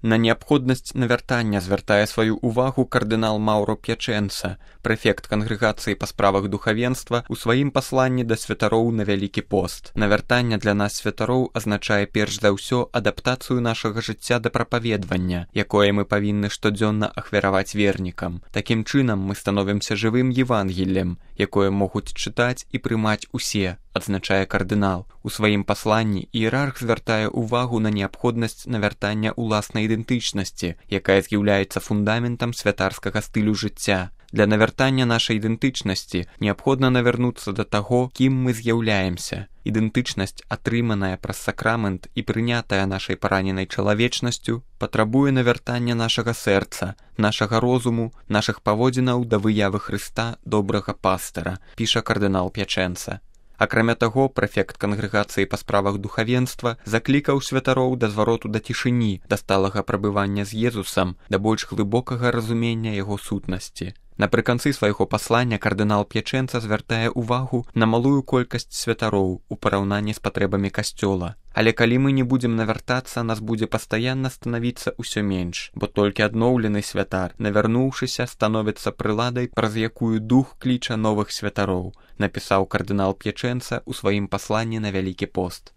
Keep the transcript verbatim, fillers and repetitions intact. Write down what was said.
На неабходнасць навяртання звяртае сваю ўвагу кардынал Маўро П'ячэнца, прэфект кангрэгацыі па справах духавенства, у сваім пасланні да святароў на Вялікі пост. Навяртанне для нас святароў азначае перш за ўсё адаптацыю нашага жыцця да прапаведвання, якое мы павінны штодзённа ахвяраваць вернікам. Такім чынам мы становімся жывым Евангеллем, якое могуць чытаць і прымаць усе, адзначае кардынал. У сваім пасланні іерарх звяртае ўвагу на неабходнасць навяртання ўласнай ідэнтычнасці, якая з'яўляецца фундаментам святарскага стылю жыцця. Для навяртання нашай ідэнтычнасці неабходна навярнуцца да таго, кім мы з'яўляемся. Ідэнтычнасць, атрыманая праз сакрамент і прынятая нашай параненай чалавечнасцю, патрабуе навяртання нашага сэрца, нашага розуму, нашых паводзінаў да выявы Хрыста, добрага пастара, піша кардынал П'ячэнца. Акрамя таго, прэфект кангрэгацыі па справах духавенства заклікаў святароў да звароту да цішыні, да сталага прабывання з Езусам, да больш глыбокага разумення яго сутнасці. Напрыканцы свайго паслання кардынал П'ячэнца звяртае ўвагу на малую колькасць святароў у параўнанні з патрэбамі касцёла. Але калі мы не будзем навяртацца, нас будзе пастаянна станавіцца ўсё менш, бо толькі адноўлены святар, навярнуўшыся, становіцца прыладай, праз якую дух кліча новых святароў, напісаў кардынал П'ячэнца ў сваім пасланні на Вялікі пост.